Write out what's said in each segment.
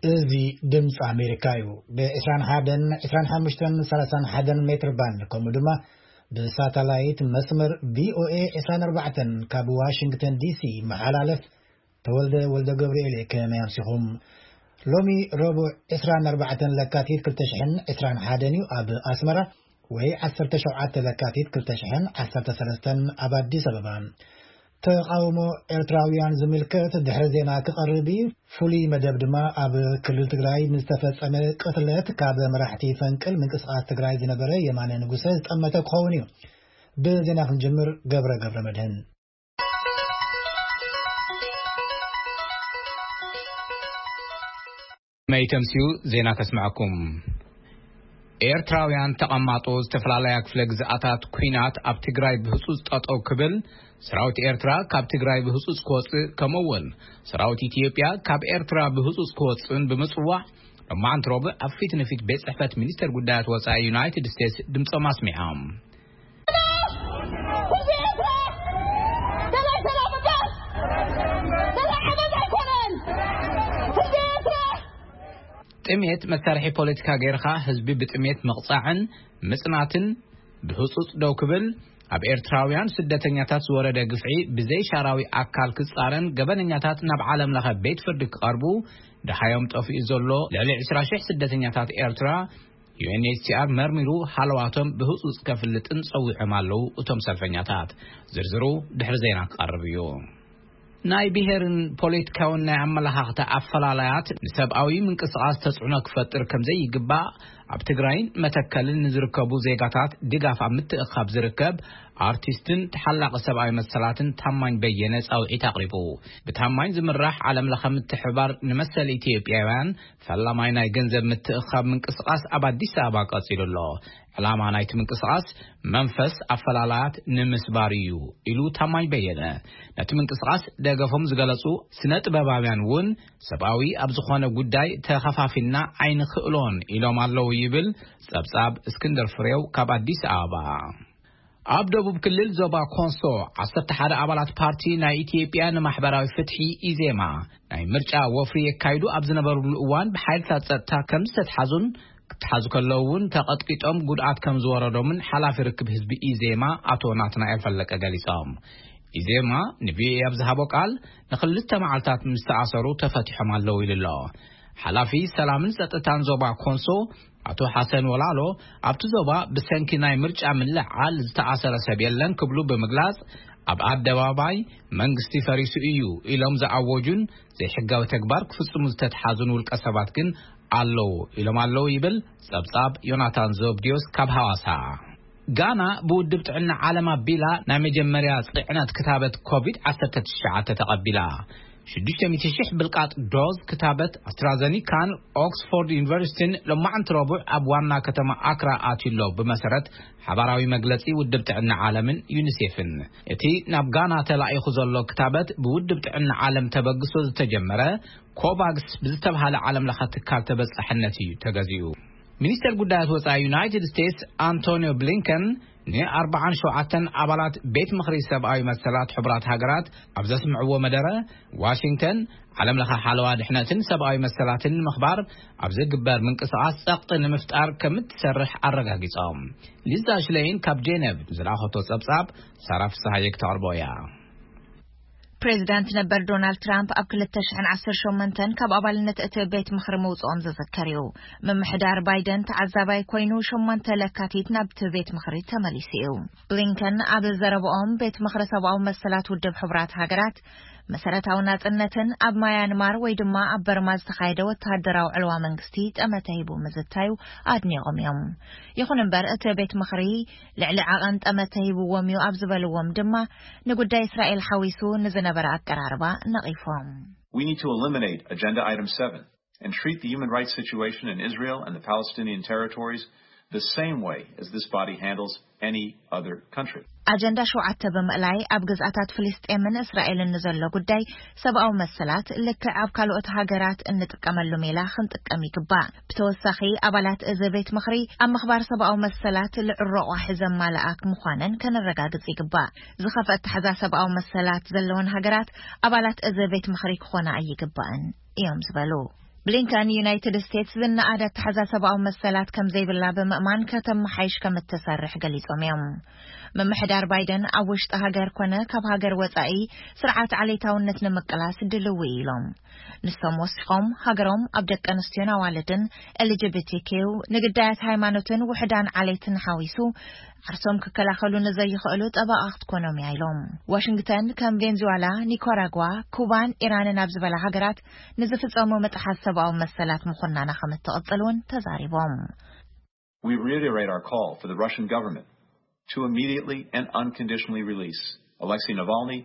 እዚ ድምፂ ኣሜሪካ እዩ። ብ21፣ 25፣ 31 ሜትር ባንድ፣ ከምኡ ድማ ብሳተላይት መስመር ቪ ኦ ኤ 24 ካብ ዋሽንግተን ዲ ሲ ይመሓላለፍ። ተወልደ ወልደ ገብርኤል እየ። ከመይ ኣምሲኹም? ሎሚ ረቡዕ 24 ለካቲት 2021 እዩ። ኣብ ኣስመራ ወይ 17 ለካቲት 2013 ኣብ ኣዲስ ኣበባ። ተቓውሞ ኤርትራውያን ዝምልከት ድሕሪ ዜና ክቐርብ እዩ። ፍሉይ መደብ ድማ ኣብ ክልል ትግራይ ንዝተፈጸመ ቅትለት ካብ መራሕቲ ፈንቅል ምንቅስቓስ ትግራይ ዝነበረ የማነ ንጉሰ ዝጠመተ ክኸውን እዩ። ብዜና ክንጅምር፣ ገብረ ገብረ መድህን። መይተምስዩ ዜና ከስምዐኩም። ኤርትራውያን ተቐማጦ ዝተፈላለያ ክፍለ ግዝኣታት ኲናት ኣብ ትግራይ ብህጹጽ ጠጠው ክብል፣ ሰራዊት ኤርትራ ካብ ትግራይ ብህጹጽ ክወጽእ፣ ከምኡ እውን ሰራዊት ኢትዮጵያ ካብ ኤርትራ ብህጹጽ ክወጽእን ብምጽዋዕ፣ ሎማዓንቲ ረቡዕ ኣብ ፊት ንፊት ቤት ጽሕፈት ሚኒስተር ጉዳያት ወጻኢ ዩናይትድ ስቴትስ ድምጾም ኣስሚዖም። ጥሜት መሳርሒ ፖለቲካ ጌርኻ ህዝቢ ብጥሜት ምቕጻዕን ምጽናትን፣ ብህጹጽ ደው ክብል፣ ኣብ ኤርትራውያን ስደተኛታት ዝወረደ ግፍዒ ብዘይ ሻራዊ ኣካል ክጻረን፣ ገበነኛታት ናብ ዓለም ለኸ ቤት ፍርዲ ክቐርቡ፣ ደሃዮም ጠፊኡ ዘሎ ልዕሊ 20,000 ስደተኛታት ኤርትራ፣ ዩ ኤን ኤች ሲ ኣር መርሚሩ ሃለዋቶም ብህጹጽ ከፍልጥን ጸዊዖም ኣለዉ እቶም ሰልፈኛታት። ዝርዝሩ ድሕሪ ዜና ክቐርብ እዩ። ናይ ብሄርን ፖለቲካውን ናይ ኣመለኻኽታ ኣፈላላያት ንሰብኣዊ ምንቅስቓስ ተጽዕኖ ክፈጥር ከም ዘይግባእ፣ ኣብ ትግራይን መተከልን ንዝርከቡ ዜጋታት ድጋፍ ኣብ ምትእኻብ ዝርከብ ኣርቲስትን ተሓላቒ ሰብኣዊ መሰላትን ታማኝ በየነ ጻውዒት ኣቕሪቡ። ብታማኝ ዝምራሕ ዓለም ለኸ ምትሕብባር ንመሰል ኢትዮጵያውያን ፈላማይ ናይ ገንዘብ ምትእኻብ ምንቅስቓስ ኣብ ኣዲስ ኣበባ ቀጺሉ ኣሎ። ዕላማ ናይቲ ምንቅስቓስ መንፈስ ኣፈላላያት ንምስባር እዩ፣ ኢሉ ታማኝ በየነ። ነቲ ምንቅስቓስ ደገፎም ዝገለጹ ስነ ጥበባውያን እውን ሰብኣዊ ኣብ ዝኾነ ጉዳይ ተኸፋፊልና ኣይንኽእሎን ኢሎም ኣለዉ፣ ይብል ጸብጻብ እስክንድር ፍሬው ካብ ኣዲስ ኣበባ። ኣብ ደቡብ ክልል ዞባ ኮንሶ 11 ኣባላት ፓርቲ ናይ ኢትዮጵያ ንማሕበራዊ ፍትሒ፣ ኢዜማ፣ ናይ ምርጫ ወፍሪ የካይዱ ኣብ ዝነበሩሉ እዋን ብሓይልታት ጸጥታ ከም ዝተትሓዙን፣ ክትሓዙ ከለዉ እውን ተቐጥቂጦም ጉድኣት ከም ዝወረዶምን ሓላፊ ርክብ ህዝቢ ኢዜማ ኣቶ ናትናኤል ፈለቀ ገሊጾም። ኢዜማ ንቪኦኤ ኣብ ዝሃቦ ቃል፣ ንክልተ መዓልታት ምስ ተኣሰሩ ተፈቲሖም ኣለዉ ኢሉ ኣሎ። ሓላፊ ሰላምን ጸጥታን ዞባ ኮንሶ ኣቶ ሓሰን ወላሎ፣ ኣብቲ ዞባ ብሰንኪ ናይ ምርጫ ምልዕዓል ዝተኣሰረ ሰብ የለን ክብሉ ብምግላጽ፣ ኣብ ኣደባባይ መንግስቲ ፈሪሱ እዩ ኢሎም ዝኣወጁን ዘይሕጋዊ ተግባር ክፍጽሙ ዝተትሓዙን ውልቀ ሰባት ግን ኣለዉ ኢሎም ኣለዉ፣ ይብል ጸብጻብ ዮናታን ዘብድዮስ ካብ ሃዋሳ። ጋና ብውድብ ጥዕና ዓለም ኣቢላ ናይ መጀመርያ ጽዕነት ክታበት ኮቪድ ዓሰርተ ትሽዓተ ተቐቢላ። ሽዱሽተ ሚእቲ ሽሕ ብልቃጥ ዶዝ ክታበት ኣስትራዘኒካን ኦክስፎርድ ዩኒቨርሲቲን ሎማዕንቲ ረቡዕ ኣብ ዋና ከተማ ኣክራ ኣትዩ ኣሎ፣ ብመሰረት ሓባራዊ መግለጺ ውድብ ጥዕና ዓለምን ዩኒሴፍን። እቲ ናብ ጋና ተላኢኹ ዘሎ ክታበት ብውድብ ጥዕና ዓለም ተበግሶ ዝተጀመረ ኮቫክስ ብዝተብሃለ ዓለም ለኸ ትካል ተበጻሕነት እዩ ተገዚኡ። ሚኒስተር ጉዳያት ወጻኢ ዩናይትድ ስቴትስ ኣንቶኒዮ ብሊንከን ን47 ኣባላት ቤት ምኽሪ ሰብኣዊ መሰላት ሕቡራት ሃገራት ኣብ ዘስምዕዎ መደረ፣ ዋሽንግተን ዓለም ለኸ ሓለዋ ድሕነትን ሰብኣዊ መሰላትን ንምኽባር ኣብ ዝግበር ምንቅስቓስ ጸቕጢ ንምፍጣር ከም እትሰርሕ ኣረጋጊጾም። ሊዛ ሽለይን ካብ ጄኔቭ ዝለኣኸቶ ጸብጻብ ሳራ ፍስሃየ ክተቕርቦ እያ። ፕሬዚዳንት ነበር ዶናልድ ትራምፕ ኣብ ክልተ ሽሕን ዓሰርተ ሸሞንተን ካብ ኣባልነት እቲ ቤት ምኽሪ ምውፅኦም ዝዝከር እዩ። ምምሕዳር ባይደን ተዓዛባይ ኮይኑ ሸሞንተ ለካቲት ናብቲ ቤት ምኽሪ ተመሊሱ እዩ። ብሊንከን ኣብ ዘረብኦም፣ ቤት ምኽሪ ሰብኣዊ መሰላት ውድብ ሕቡራት ሃገራት መሰረታዊ ናጽነትን ኣብ ማያንማር ወይ ድማ ኣብ በርማ ዝተኻየደ ወተሃደራዊ ዕልዋ መንግስቲ ጠመተ ሂቡ ምዝታዩ ኣድኒቖም እዮም። ይኹን እምበር፣ እቲ ቤት ምኽሪ ልዕሊ ዓቐን ጠመተ ሂብዎም እዩ ኣብ ዝበልዎም ድማ፣ ንጉዳይ እስራኤል ሓዊሱ ንዝነበረ ኣቀራርባ ነቒፎም። We need to eliminate Agenda Item seven and treat the human rights situation in Israel and the Palestinian territories the same way as this body handles any other country. ኣጀንዳ ሸውዓተ ብምእላይ፣ ኣብ ግዝኣታት ፍልስጤምን እስራኤልን ንዘሎ ጉዳይ ሰብኣዊ መሰላት ልክዕ ኣብ ካልኦት ሃገራት እንጥቀመሉ ሜላ ክንጥቀም ይግባእ። ብተወሳኺ፣ ኣባላት እዚ ቤት ምኽሪ ኣብ ምኽባር ሰብኣዊ መሰላት ልዑል ረቋሒ ዘማልኣ ምዃነን ከነረጋግጽ ይግባእ። ዝኸፍአ ኣተሓዛ ሰብኣዊ መሰላት ዘለወን ሃገራት ኣባላት እዚ ቤት ምኽሪ ክኾና ኣይግባእን እዮም ዝበሉ። ብሊንከን፣ ዩናይትድ ስቴትስ ዝነኣደ ኣተሓዛ ሰብኣዊ መሰላት ከም ዘይብላ ብምእማን ከተመሓይሽ ከም እትሰርሕ ገሊጾም እዮም። ምምሕዳር ባይደን ኣብ ውሽጢ ሃገር ኮነ ካብ ሃገር ወጻኢ ስርዓት ዓሌታውነት ንምቅላስ ድልው ኢሎም። ንሶም ወሲኾም፣ ሃገሮም ኣብ ደቂ ኣንስትዮን ኣዋልድን፣ ኤል ጂ ቢ ቲ ኪው፣ ንግዳያት ሃይማኖትን ውሕዳን ዓሌትን ሓዊሱ ዓርሶም ክከላኸሉ ንዘይኽእሉ ጠበቓ ክትኮኖም እያ ኢሎም። ዋሽንግተን ከም ቬንዙዋላ፣ ኒካራጓ፣ ኩባን ኢራንን ኣብ ዝበላ ሃገራት ንዝፍጸሙ መጥሓስ ሰብኣዊ መሰላት ምኹናና ከም እትቕጽል እውን ተዛሪቦም። We reiterate our call for the Russian government to immediately and unconditionally release Alexei Navalny,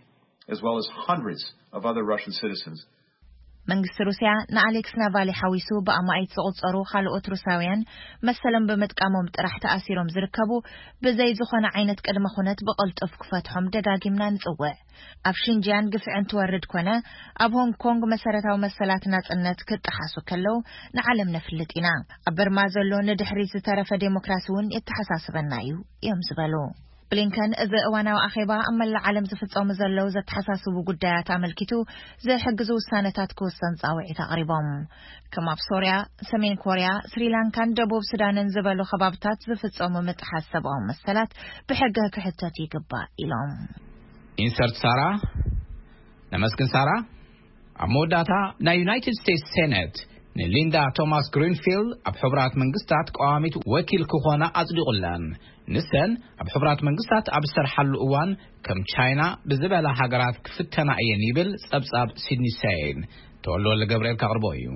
as well as hundreds of other Russian citizens. መንግስቲ ሩስያ ንኣሌክስ ናቫሊ ሓዊሱ ብኣማኢት ዝቑጸሩ ካልኦት ሩሳውያን መሰሎም ብምጥቃሞም ጥራሕ ተኣሲሮም ዝርከቡ ብዘይ ዝኾነ ዓይነት ቅድመ ኩነት ብቕልጡፍ ክፈትሖም ደጋጊምና ንጽውዕ። ኣብ ሽንጂያን ግፍዕን ትወርድ ኮነ ኣብ ሆንግ ኮንግ መሰረታዊ መሰላት ናጽነት ክጠሓሱ ከለዉ ንዓለም ነፍልጥ ኢና። ኣብ በርማ ዘሎ ንድሕሪት ዝተረፈ ዴሞክራሲ እውን የተሓሳስበና እዩ እዮም ዝበሉ። ብሊንከን፣ እዚ እዋናዊ ኣኼባ ኣብ መላእ ዓለም ዝፍጸሙ ዘለዉ ዘተሓሳስቡ ጉዳያት ኣመልኪቱ ዝሕግዙ ውሳነታት ክውሰን ጻውዒት ኣቕሪቦም። ከም ኣብ ሶርያ፣ ሰሜን ኮርያ፣ ስሪላንካን ደቡብ ሱዳንን ዝበሉ ከባብታት ዝፍጸሙ ምጥሓስ ሰብኣዊ መሰላት ብሕገ ክሕተት ይግባእ ኢሎም። ኢንሰርት ሳራ። ነመስግን ሳራ። ኣብ መወዳእታ፣ ናይ ዩናይትድ ስቴትስ ሴኔት ንሊንዳ ቶማስ ግሪንፊልድ ኣብ ሕቡራት መንግስታት ቀዋሚት ወኪል ክኾና ኣጽዲቑለን። ንሰን ኣብ ሕቡራት መንግስታት ኣብ ዝሰርሓሉ እዋን ከም ቻይና ብዝበላ ሃገራት ክፍተና እየን ይብል ጸብጻብ ሲድኒ ሰይን። ተወልደ ወልደ ገብርኤል ከቕርቦ እዩ።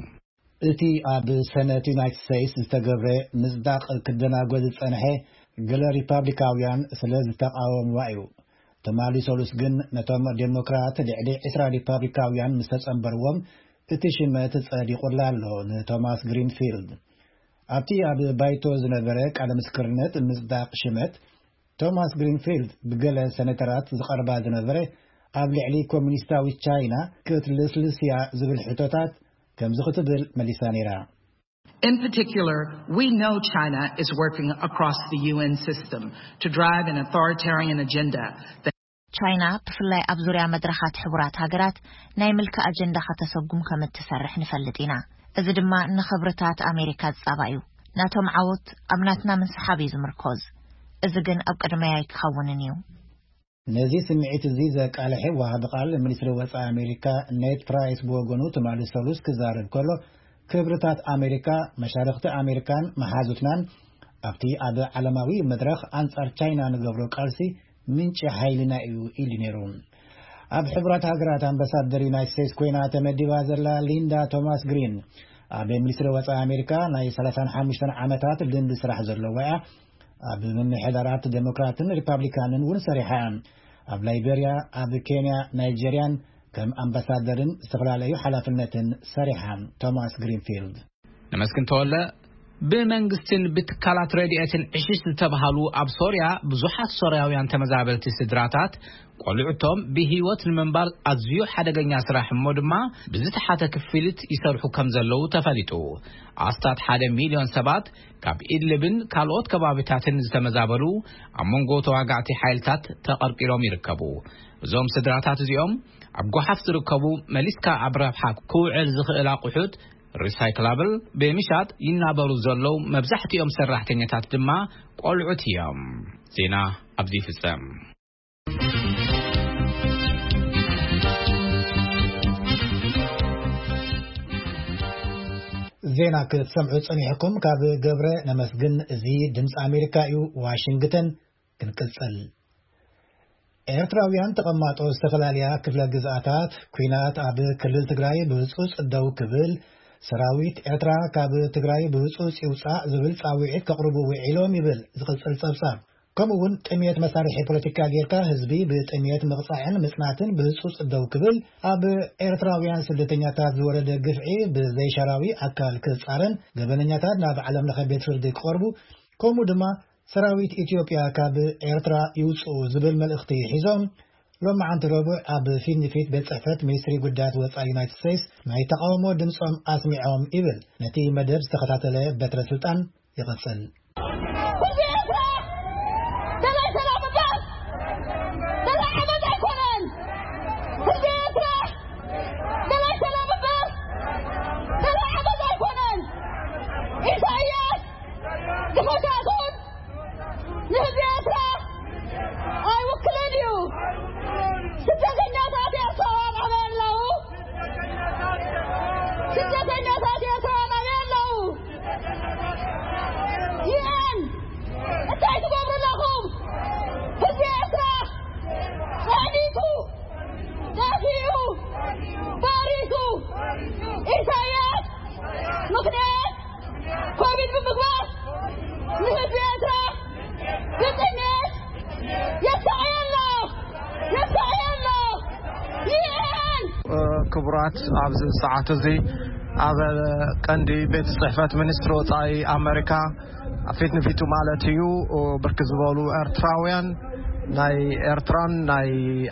እቲ ኣብ ሰነት ዩናይትድ ስቴትስ ዝተገብረ ምጽዳቕ ክደናጎ ዝጸንሐ ገለ ሪፓብሊካውያን ስለ ዝተቓወምዋ እዩ። ትማሊ ሰሉስ ግን ነቶም ዴሞክራት ልዕሊ ዕስራ ሪፓብሊካውያን ምስ ተጸንበርዎም እቲ ሽመት ጸዲቑላ ኣሎ ንቶማስ ግሪንፊልድ። ኣብቲ ኣብ ባይቶ ዝነበረ ቃለ ምስክርነት ምጽዳቕ ሽመት ቶማስ ግሪንፊልድ ብገለ ሰነተራት ዝቐርባ ዝነበረ ኣብ ልዕሊ ኮሚኒስታዊት ቻይና ክትልስልስ እያ ዝብል ሕቶታት ከምዚ ክትብል መሊሳ ነይራ። In particular, we know China is working across the U N system to drive an authoritarian agenda that ቻይና ብፍላይ ኣብ ዙርያ መድረኻት ሕቡራት ሃገራት ናይ ምልኪ ኣጀንዳ ከተሰጉም ከም እትሰርሕ ንፈልጥ ኢና። እዚ ድማ ንኽብርታት ኣሜሪካ ዝጻባ እዩ። ናቶም ዓወት ኣብ ናትና ምንስሓብ እዩ ዝምርኮዝ። እዚ ግን ኣብ ቅድመይ ኣይክኸውንን እዩ። ነዚ ስምዒት እዚ ዘቃልሐ ወሃቢ ቃል ሚኒስትሪ ወጻኢ ኣሜሪካ ኔድ ፕራይስ ብወገኑ ትማሊ ሰሉስ ክዛረብ ከሎ፣ ክብርታት ኣሜሪካ፣ መሻርኽቲ ኣሜሪካን መሓዙትናን ኣብቲ ኣብ ዓለማዊ መድረኽ ኣንጻር ቻይና ንገብሮ ቃልሲ ምንጪ ሓይልና እዩ ኢሉ ነይሩ። ኣብ ሕቡራት ሃገራት ኣምባሳደር ዩናይትድ ስቴትስ ኮይና ተመዲባ ዘላ ሊንዳ ቶማስ ግሪን ኣብ ሚኒስትሪ ወጻኢ ኣሜሪካ ናይ ሰላሳን ሓሙሽተን ዓመታት ልምዲ ስራሕ ዘለዋ እያ። ኣብ ምምሕዳራት ዴሞክራትን ሪፓብሊካንን እውን ሰሪሓ። ኣብ ላይቤርያ፣ ኣብ ኬንያ፣ ናይጄርያን ከም ኣምባሳደርን ዝተፈላለዩ ሓላፍነትን ሰሪሓ። ቶማስ ግሪንፊልድ። ነመስግን ተወለ። ብመንግስትን ብትካላት ረድኤትን ዕሽሽ ዝተባሃሉ ኣብ ሶርያ ብዙሓት ሶርያውያን ተመዛበልቲ ስድራታት ቆልዑቶም ብህይወት ንምንባር ኣዝዩ ሓደገኛ ስራሕ እሞ ድማ ብዝተሓተ ክፍሊት ይሰርሑ ከም ዘለዉ ተፈሊጡ። ኣስታት ሓደ ሚልዮን ሰባት ካብ ኢድልብን ካልኦት ከባቢታትን ዝተመዛበሉ ኣብ መንጎ ተዋጋእቲ ሓይልታት ተቐርቂሮም ይርከቡ። እዞም ስድራታት እዚኦም ኣብ ጓሓፍ ዝርከቡ መሊስካ ኣብ ረብሓ ክውዕል ዝኽእል ኣቑሑት ሪሳይክላብል ብምሻጥ ይናበሩ ዘለዉ መብዛሕትኦም ሰራሕተኛታት ድማ ቆልዑት እዮም። ዜና ኣብዚ ይፍጸም። ዜና ክትሰምዑ ጸኒሕኩም ካብ ገብረ ነመስግን። እዚ ድምፂ ኣሜሪካ እዩ። ዋሽንግተን። ክንቅጽል። ኤርትራውያን ተቐማጦ ዝተፈላለያ ክፍለ ግዝኣታት፣ ኲናት ኣብ ክልል ትግራይ ብህጹጽ ደው ክብል፣ ሰራዊት ኤርትራ ካብ ትግራይ ብህጹጽ ይውጻእ ዝብል ጻውዒት ከቕርቡ ውዒሎም ይብል ዝቕጽል ጸብጻብ። ከምኡ እውን ጥሜት መሳርሒ ፖለቲካ ጌርካ ህዝቢ ብጥሜት ምቕጻዕን ምጽናትን ብህጹጽ ደው ክብል፣ ኣብ ኤርትራውያን ስደተኛታት ዝወረደ ግፍዒ ብዘይሻራዊ ኣካል ክጻረን፣ ገበነኛታት ናብ ዓለም ለኸ ቤት ፍርዲ ክቐርቡ፣ ከምኡ ድማ ሰራዊት ኢትዮጵያ ካብ ኤርትራ ይውጽኡ ዝብል መልእኽቲ ሒዞም ሎማዓንቲ ረቡዕ ኣብ ፊት ንፊት ቤት ጽሕፈት ሚኒስትሪ ጉዳያት ወጻኢ ዩናይትድ ስቴትስ ናይ ተቓውሞ ድምጾም ኣስሚዖም ይብል ነቲ መደብ ዝተኸታተለ በትረ ስልጣን። ይቕጽል። እንታይ ትገብሩ ኣለኹም? ህዝቢ ኤርትራ ጸዕኒቱ፣ ጠፊኡ፣ ባሪሱ፣ ኢሳያስ ምኽንያት ኮቪድ ብምግባር ንህዝቢ ኤርትራ ብጥሜት የሳቕዮ ኣሎ፣ የሳቕዮ ኣሎ። ዩ ኤን! ክቡራት፣ ኣብዚ ሰዓት እዚ ኣብ ቀንዲ ቤት ጽሕፈት ሚኒስትሪ ወጻኢ ኣመሪካ ፊት ንፊቱ ማለት እዩ፣ ብርክት ዝበሉ ኤርትራውያን፣ ናይ ኤርትራን ናይ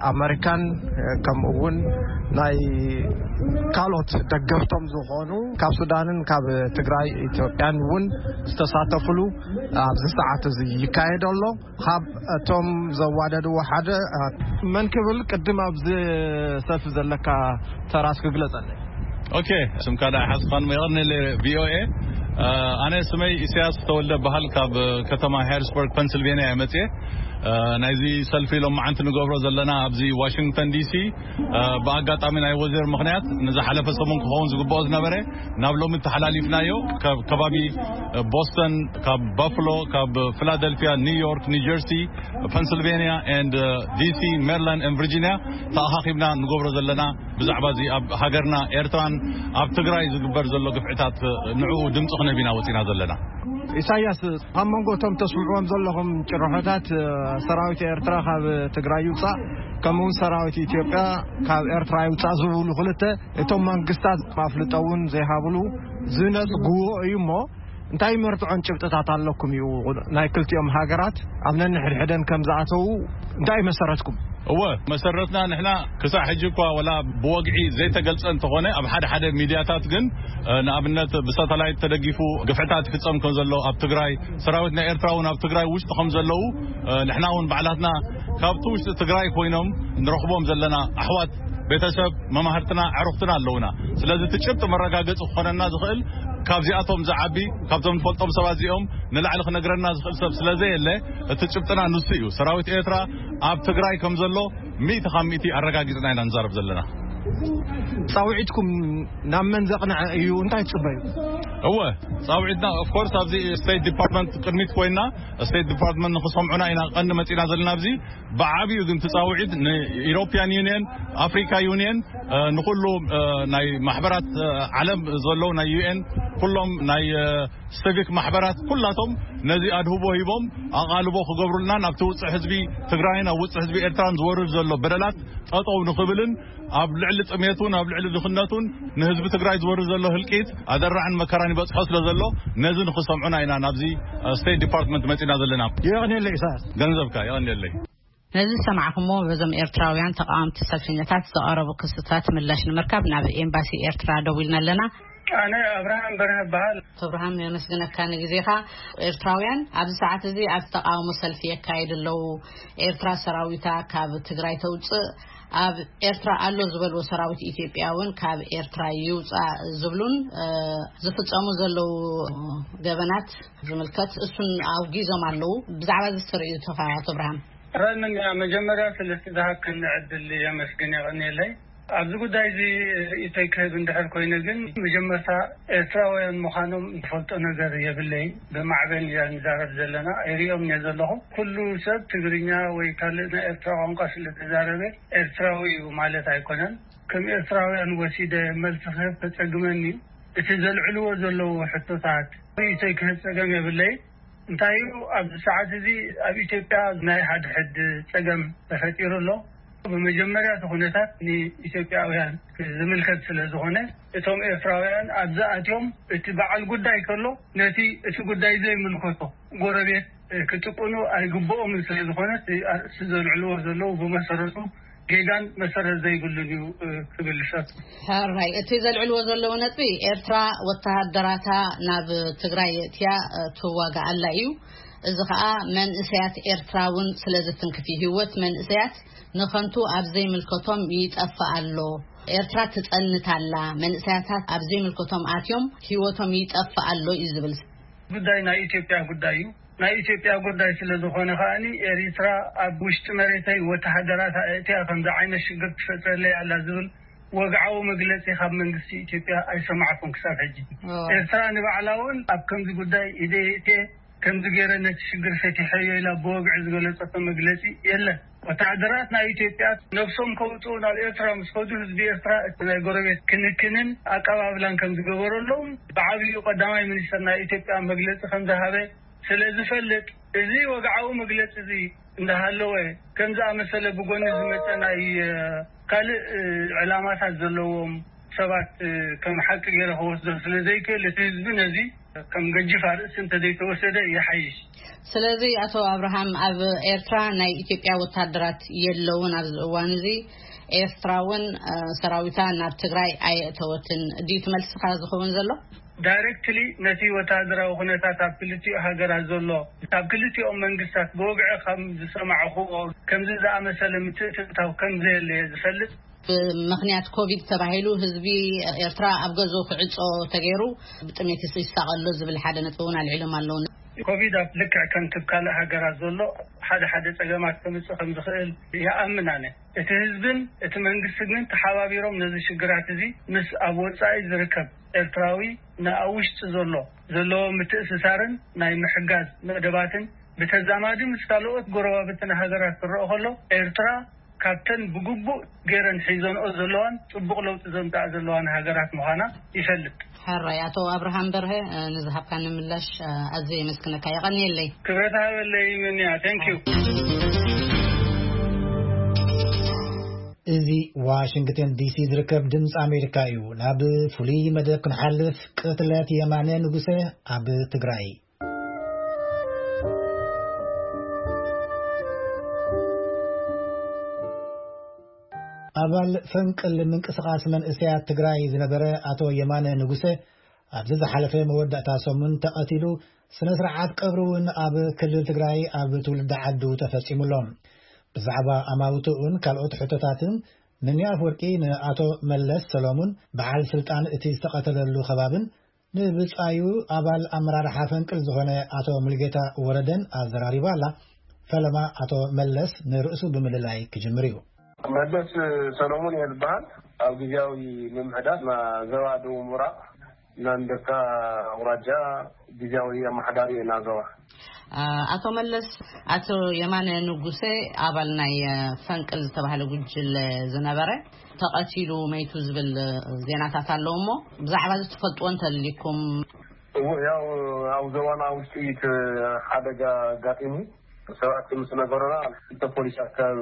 ኣመሪካን፣ ከምኡ እውን ናይ ካልኦት ደገፍቶም ዝኾኑ፣ ካብ ሱዳንን ካብ ትግራይ ኢትዮጵያን እውን ዝተሳተፉሉ ኣብዚ ሰዓት እዚ ይካየድ ኣሎ። ካብ እቶም ዘዋደድዎ ሓደ፣ መን ክብል፣ ቅድም ኣብዚ ሰልፊ ዘለካ ተራ እስኪ ግለጸለይ። ኦኬ፣ ስምካ ደኣ ሓስኻን፣ የቐንየለይ ቪኦኤ። ኣነ ስመይ ኢሳያስ ተወልደ በሃል፣ ካብ ከተማ ሃሪስበርግ ፐንስልቬንያ እየ መጽየ። ናይዚ ሰልፊ ሎማዓንቲ ንገብሮ ዘለና ኣብዚ ዋሽንግተን ዲሲ፣ ብኣጋጣሚ ናይ ወዘር ምኽንያት ንዝሓለፈ ሰሙን ክኸውን ዝግብኦ ዝነበረ ናብ ሎሚ ተሓላሊፍናዮ። ካብ ከባቢ ቦስተን፣ ካብ ባፍሎ፣ ካብ ፊላደልፊያ፣ ኒውዮርክ፣ ኒውጀርሲ፣ ፐንስልቬንያ ኤንድ ዲሲ፣ ሜሪላንድ ኤንድ ቪርጂንያ ተኣኻኺብና ንገብሮ ዘለና ብዛዕባ እዚ ኣብ ሃገርና ኤርትራን ኣብ ትግራይ ዝግበር ዘሎ ግፍዕታት ንዕኡ ድምፂ ክነብ ኢና ወፂና ዘለና። ኢሳያስ፣ ኣብ መንጎ እቶም ተስምዕዎም ዘለኹም ጭርሖታት፣ ሰራዊት ኤርትራ ካብ ትግራይ ይውፃእ፣ ከምኡ እውን ሰራዊት ኢትዮጵያ ካብ ኤርትራ ይውፃእ ዝብሉ ክልተ፣ እቶም መንግስታት ማፍልጦ እውን ዘይሃብሉ ዝነፅግዎ እዩ እሞ፣ እንታይ መርትዖን ጭብጥታት ኣለኩም እዩ ናይ ክልቲኦም ሃገራት ኣብ ነንሕድሕደን ከም ዝኣተዉ እንታይ መሰረትኩም? እወ፣ መሰረትና ንሕና ክሳዕ ሕጂ እኳ ወላ ብወግዒ ዘይተገልጸ እንተኾነ፣ ኣብ ሓደ ሓደ ሚድያታት ግን፣ እ፣ ንኣብነት ብሳተላይት ተደጊፉ ግፍዕታት ይፍጸም ከም ዘሎ ኣብ ትግራይ፣ ሰራዊት ናይ ኤርትራ እውን ኣብ ትግራይ ውሽጢ ከም ዘለዉ፣ እ፣ ንሕና እውን ባዕላትና ካብቲ ውሽጢ ትግራይ ኮይኖም ንረኽቦም ዘለና ኣሕዋት፣ ቤተሰብ፣ መማህርትና፣ ኣዕሩኽትና ኣለዉና። ስለዚ እቲ ጭብጢ መረጋገጺ ክኾነና ዝኽእል ካብዚኣቶም ዝዓቢ፣ ካብቶም ንፈልጦም ሰባት እዚኦም ንላዕሊ ክነግረና ዝኽእል ሰብ ስለ ዘየለ፣ እቲ ጭብጥና ንሱ እዩ። ሰራዊት ኤርትራ ኣብ ትግራይ ከም ዘሎ ሚእቲ ካብ ሚእቲ ኣረጋጊጽና ኢና ንዛረብ ዘለና። ጻውዒትኩም ናብ መን ዘቕንዐ እዩ? እንታይ ትጽበዩ? እወ፣ ጻውዒትና ኦፍ ኮርስ ኣብዚ ስቴት ዲፓርትመንት ቅድሚት ኮይና፣ ስቴት ዲፓርትመንት ንኽሰምዑና ኢና ቀንዲ መጺና ዘለና። ኣብዚ ብዓቢኡ ግን እቲ ጻውዒት ንኢሮፒያን ዩኒየን፣ ኣፍሪካ ዩኒየን፣ እ፣ ንኹሉ፣ እ፣ ናይ ማሕበራት፣ እ፣ ዓለም ዘለዉ ናይ ዩ ኤን፣ ኩሎም ናይ፣ እ፣ ሲቪክ ማሕበራት ኩላቶም ነዚ ኣድህቦ ሂቦም ኣቓልቦ ክገብሩልናን ኣብቲ ውፅዕ ህዝቢ ትግራይን ኣብ ውፅዕ ህዝቢ ኤርትራን ዝወርድ ዘሎ በደላት ጠጠው ንኽብልን ኣብ ልዕሊ ጥሜቱን ኣብ ልዕሊ ድኽነቱን ንህዝቢ ትግራይ ዝወርድ ዘሎ ህልቂት ኣደራዕን መከራን ይበፅሖ ስለ ዘሎ ነዚ ንኽሰምዑና ኢና ናብዚ፣ እ፣ ስቴት ዲፓርትመንት መፂና ዘለና። የቐንየለይ ኢሳያስ። ገንዘብካ የቐንየለይ። ነዚ ዝሰማዕኹምዎ በዞም ኤርትራውያን ተቓወምቲ ሰልፈኛታት ዝቐረቡ ክስታት ምላሽ ንምርካብ ናብ ኤምባሲ ኤርትራ ደዊልና ኣለና። ኣነ ኣብርሃም በርሀ እበሃል። ኣቶ ኣብርሃም፣ የመስግነካ ንግዜኻ። ኤርትራውያን ኣብዚ ሰዓት እዚ ኣብ ተቓውሞ ሰልፊ የካይዱ ኣለዉ። ኤርትራ ሰራዊታ ካብ ትግራይ ተውፅእ፣ ኣብ ኤርትራ ኣሎ ዝበልዎ ሰራዊት ኢትዮጵያ እውን ካብ ኤርትራ ይውፃእ ዝብሉን፣ እ፣ ዝፍጸሙ ዘለዉ ገበናት ዝምልከት እሱን ኣውጊዞም ኣለዉ። ብዛዕባ እዚ ዝተርእዩ ተኻ ኣቶ ኣብርሃም? ረንኛ መጀመርያ ስለቲ ዝሃብክኒ ዕድል የመስግን የቐንየለይ። ኣብዚ ጉዳይ እዚ ርእይቶይ ክህብ እንድሕር ኮይነ ግን መጀመርታ ኤርትራውያን ምዃኖም ዝፈልጦ ነገር የብለይን። ብማዕበል እያ ንዛረብ ዘለና። ኣይርእዮም እየ ዘለኹ። ኩሉ ሰብ ትግርኛ ወይ ካልእ ናይ ኤርትራ ቋንቋ ስለ ተዛረበ ኤርትራዊ እዩ ማለት ኣይኮነን። ከም ኤርትራውያን ወሲደ መልሲ ክህብ ተጸግመኒ እዩ። እቲ ዘልዕልዎ ዘለዉ ሕቶታት ርእይቶይ ክህብ ጸገም የብለይን። እንታይ እዩ፣ ኣብዚ ሰዓት እዚ ኣብ ኢትዮጵያ ናይ ሓድሕድ ጸገም ተፈጢሩ ኣሎ። ብመጀመርያ እቲ ኩነታት ንኢትዮጵያውያን ዝምልከት ስለ ዝኾነ፣ እቶም ኤርትራውያን ኣብዚ ኣትዮም እቲ በዓል ጉዳይ ከሎ ነቲ እቲ ጉዳይ ዘይምልከቶ ጎረቤት ክጭቁኑ ኣይግብኦምን ስለ ዝኾነ፣ እቲ ኣርእስቲ ዘልዕልዎ ዘለዉ ብመሰረቱ ጌጋን መሰረት ዘይብሉን እዩ፣ እ፣ ክብል ይፈቱ። ሕራይ፣ እቲ ዘልዕልዎ ዘለዉ ነጥቢ፣ ኤርትራ ወተሃደራታ ናብ ትግራይ የእትያ፣ እ፣ ትዋጋእ ኣላ እዩ። እዚ ኸኣ መንእሰያት ኤርትራ እውን ስለ ዝትንክፍ እዩ። ህይወት መንእሰያት ንኸንቱ ኣብ ዘይምልከቶም ይጠፍእ ኣሎ። ኤርትራ ትጸንት ኣላ። መንእሰያታት ኣብ ዘይምልከቶም ኣትዮም ህይወቶም ይጠፍእ ኣሎ እዩ ዝብል። ጉዳይ ናይ ኢትዮጵያ ጉዳይ እዩ። ናይ ኢትዮጵያ ጉዳይ ስለ ዝኾነ ከኣኒ ኤሪትራ ኣብ ውሽጢ መሬተይ ወተሃደራት ኣእትያ ከምዚ ዓይነት ሽግር ትፈጥረለይ ኣላ ዝብል ወግዓዊ መግለጺ ካብ መንግስቲ ኢትዮጵያ ኣይሰማዕኩን ክሳብ ሕጂ። ኦ። ኤርትራ ንባዕላ እውን ኣብ ከምዚ ጉዳይ ኢደይ የእትየ ከምዚ ገይረ ነቲ ሽግር ፈቲሐዮ ኢላ ብወግዒ ዝገለጸቶ መግለጺ የለን። ወታደራት ናይ ኢትዮጵያ ነብሶም ከውፅኡ ናብ ኤርትራ ምስ ከዱ ህዝቢ ኤርትራ እቲ ናይ ጎረቤት ክንክንን ኣቀባብላን ከም ዝገበረሎም ብዓብዩ ቀዳማይ ሚኒስትር ናይ ኢትዮጵያ መግለፂ ከም ዝሃበ ስለ ዝፈልጥ፣ እዚ ወግዓዊ መግለፂ እዚ እንዳሃለወ ከም ዝኣመሰለ ብጎኒ ዝመፀ ናይ ካልእ ዕላማታት ዘለዎም ሰባት ከም ሓቂ ገይረ ክወስዶ ስለ ዘይክእል፣ እቲ ህዝቢ ነዚ ከም ገጅፍ ኣርእስቲ እንተዘይተወሰደ ይሓይሽ። ስለዚ ኣቶ ኣብርሃም፣ ኣብ ኤርትራ ናይ ኢትዮጵያ ወታደራት የለውን። ኣብዚ እዋን እዚ ኤርትራ እውን ሰራዊታ ናብ ትግራይ ኣየእተወትን ድዩ ትመልስኻ ዝኸውን ዘሎ? ዳይሬክትሊ ነቲ ወታደራዊ ኩነታት ኣብ ክልቲኡ ሃገራት ዘሎ ካብ ክልቲኦም መንግስታት ብወግዒ ከም ዝሰማዕኹዎ ከምዚ ዝኣመሰለ ምትእትታው ከም ዘየለ እየ ዝፈልጥ። ብምኽንያት ኮቪድ ተባሂሉ ህዝቢ ኤርትራ ኣብ ገዝኡ ክዕጾ ተገይሩ ብጥሜት ይሳቐ ኣሎ ዝብል ሓደ ነጥቢ እውን ኣልዒሎም ኣለዉ። ኮቪድ ኣብ ልክዕ ከምቲ ካልእ ሃገራት ዘሎ ሓደ ሓደ ጸገማት ከምጽእ ከም ዝኽእል ይኣምን ኣነ። እቲ ህዝብን እቲ መንግስቲ ግን ተሓባቢሮም ነዚ ሽግራት እዚ ምስ ኣብ ወጻኢ ዝርከብ ኤርትራዊ ንኣብ ውሽጢ ዘሎ ዘለዎ ምትእስሳርን ናይ ምሕጋዝ መደባትን ብተዛማዲ ምስ ካልኦት ጎረባብትን ሃገራት ክረኦ ከሎ ኤርትራ ካብተን ብግቡእ ገይረን ሒዘንኦ ዘለዋን ጽቡቕ ለውጢ ዘምጽኣ ዘለዋን ሃገራት ምዃና ይፈልጥ። ሕራይ ኣቶ ኣብርሃም በርሀ፣ ንዝሃብካኒ ምላሽ ኣዝየ የመስግነካ። የቐንየለይ። ክብረት ሃበለይ ምንያ። Thank you። እዚ ዋሽንግተን ዲሲ ዝርከብ ድምፂ ኣሜሪካ እዩ። ናብ ፍሉይ መደብ ክንሓልፍ፣ ቅትለት የማነ ንጉሰ ኣብ ትግራይ። ኣባል ፈንቅል ምንቅስቓስ መንእሰያት ትግራይ ዝነበረ ኣቶ የማነ ንጉሰ ኣብዚ ዝሓለፈ መወዳእታ ሰሙን ተቐቲሉ፣ ስነ ስርዓት ቀብሩ እውን ኣብ ክልል ትግራይ ኣብ ትውልዲ ዓዱ ተፈጺሙ ኣሎ። ብዛዕባ ኣማውትኡን ካልኦት ሕቶታትን ምንያ ኣፍወርቂ ንኣቶ መለስ ሰሎሙን በዓል ስልጣን እቲ ዝተቐተለሉ ከባብን ንብጻዩ ኣባል ኣመራርሓ ፈንቅል ዝኾነ ኣቶ ሙልጌታ ወረደን ኣዘራሪባ ኣላ። ፈለማ ኣቶ መለስ ንርእሱ ብምልላይ ክጅምር እዩ። መለስ ሰሎሙን እየ ዝበሃል። ኣብ ግዜያዊ ምምሕዳር ና ዘባ ደቡብ ምብራቕ ናንደካ ኣውራጃ ግዜያዊ ኣመሓዳሪ እየ ናዘባ። ኣቶ መለስ፣ ኣቶ የማነ ንጉሰ ኣባል ናይ ፈንቅል ዝተባህለ ጉጅለ ዝነበረ ተቐቲሉ መይቱ ዝብል ዜናታት ኣለዉ እሞ ብዛዕባ እዚ ትፈልጥዎ እንተልይኩም? እዎ፣ ያው ኣብ ዘባና ውሽጢ እቲ ሓደጋ ኣጋጢሙ ሰባት ምስ ነገሩና ክልተ ፖሊስ ኣካል